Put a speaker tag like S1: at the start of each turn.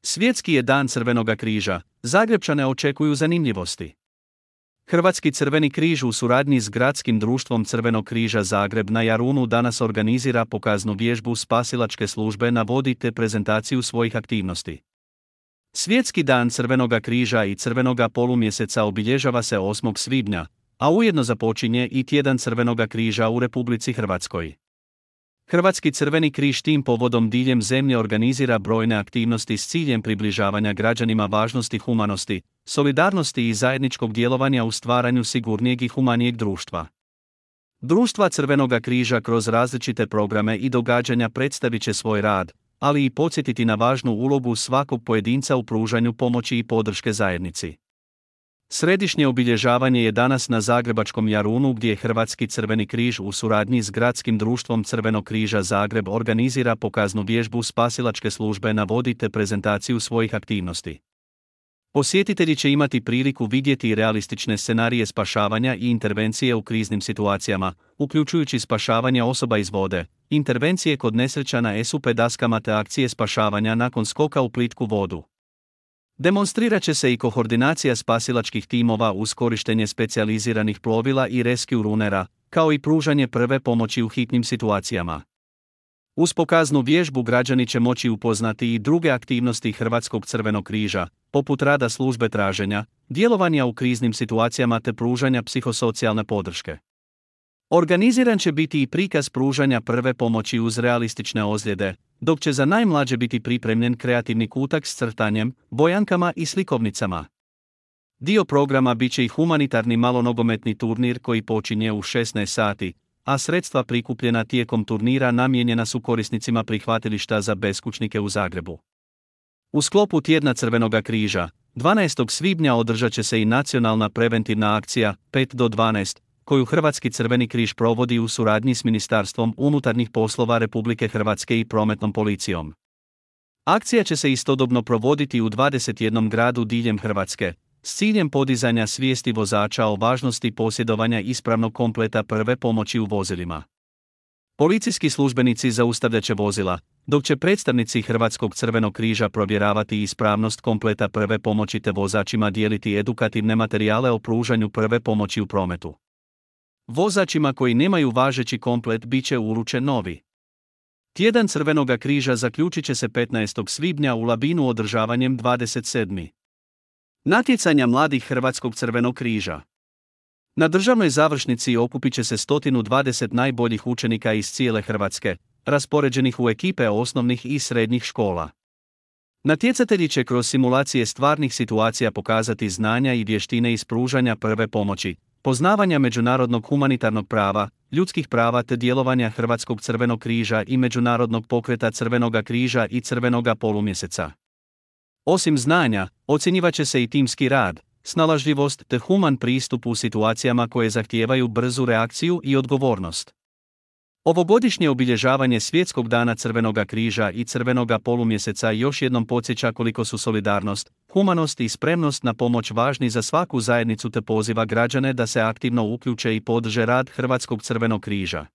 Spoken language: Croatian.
S1: Svjetski je dan Crvenoga križa, Zagrepčane očekuju zanimljivosti. Hrvatski Crveni križ u suradnji s Gradskim društvom Crvenog križa Zagreb na Jarunu danas organizira pokaznu vježbu spasilačke službe na vodi te prezentaciju svojih aktivnosti. Svjetski dan Crvenoga križa i Crvenoga polumjeseca obilježava se 8. svibnja, a ujedno započinje i tjedan Crvenoga križa u Republici Hrvatskoj. Hrvatski Crveni križ tim povodom diljem zemlje organizira brojne aktivnosti s ciljem približavanja građanima važnosti humanosti, solidarnosti i zajedničkog djelovanja u stvaranju sigurnijeg i humanijeg društva. Društva Crvenoga križa kroz različite programe i događanja predstavit će svoj rad, ali i podsjetiti na važnu ulogu svakog pojedinca u pružanju pomoći i podrške zajednici. Središnje obilježavanje je danas na zagrebačkom Jarunu gdje Hrvatski Crveni križ u suradnji s Gradskim društvom Crvenog križa Zagreb organizira pokaznu vježbu spasilačke službe na vodi te prezentaciju svojih aktivnosti. Posjetitelji će imati priliku vidjeti realistične scenarije spašavanja i intervencije u kriznim situacijama, uključujući spašavanje osoba iz vode, intervencije kod nesreća na SUP daskama te akcije spašavanja nakon skoka u plitku vodu. Demonstrirat će se i koordinacija spasilačkih timova uz korištenje specijaliziranih plovila i rescue runera, kao i pružanje prve pomoći u hitnim situacijama. Uz pokaznu vježbu građani će moći upoznati i druge aktivnosti Hrvatskog Crvenog križa, poput rada službe traženja, djelovanja u kriznim situacijama te pružanja psihosocijalne podrške. Organiziran će biti i prikaz pružanja prve pomoći uz realistične ozljede, dok će za najmlađe biti pripremljen kreativni kutak s crtanjem, bojankama i slikovnicama. Dio programa bit će i humanitarni malonogometni turnir koji počinje u 16 sati, a sredstva prikupljena tijekom turnira namijenjena su korisnicima prihvatilišta za beskućnike u Zagrebu. U sklopu tjedna Crvenoga križa, 12. svibnja održat će se i nacionalna preventivna akcija 5 do 12, koju Hrvatski Crveni križ provodi u suradnji s Ministarstvom unutarnjih poslova Republike Hrvatske i Prometnom policijom. Akcija će se istodobno provoditi u 21 gradu diljem Hrvatske, s ciljem podizanja svijesti vozača o važnosti posjedovanja ispravnog kompleta prve pomoći u vozilima. Policijski službenici zaustavljat će vozila, dok će predstavnici Hrvatskog Crvenog križa provjeravati ispravnost kompleta prve pomoći te vozačima dijeliti edukativne materijale o pružanju prve pomoći u prometu. Vozačima koji nemaju važeći komplet bit će uručen novi. Tjedan Crvenoga križa zaključit će se 15. svibnja u Labinu održavanjem 27. natjecanja mladih Hrvatskog Crvenog križa. Na državnoj završnici okupit će se 120 najboljih učenika iz cijele Hrvatske, raspoređenih u ekipe osnovnih i srednjih škola. Natjecatelji će kroz simulacije stvarnih situacija pokazati znanja i vještine iz pružanja prve pomoći, poznavanja međunarodnog humanitarnog prava, ljudskih prava te djelovanja Hrvatskog Crvenog križa i međunarodnog pokreta Crvenoga križa i Crvenoga polumjeseca. Osim znanja, ocjenjivat će se i timski rad, snalažljivost te human pristup u situacijama koje zahtijevaju brzu reakciju i odgovornost. Ovogodišnje obilježavanje Svjetskog dana Crvenoga križa i Crvenoga polumjeseca još jednom podsjeća koliko su solidarnost, humanost i spremnost na pomoć važni za svaku zajednicu te poziva građane da se aktivno uključe i podrže rad Hrvatskog Crvenog križa.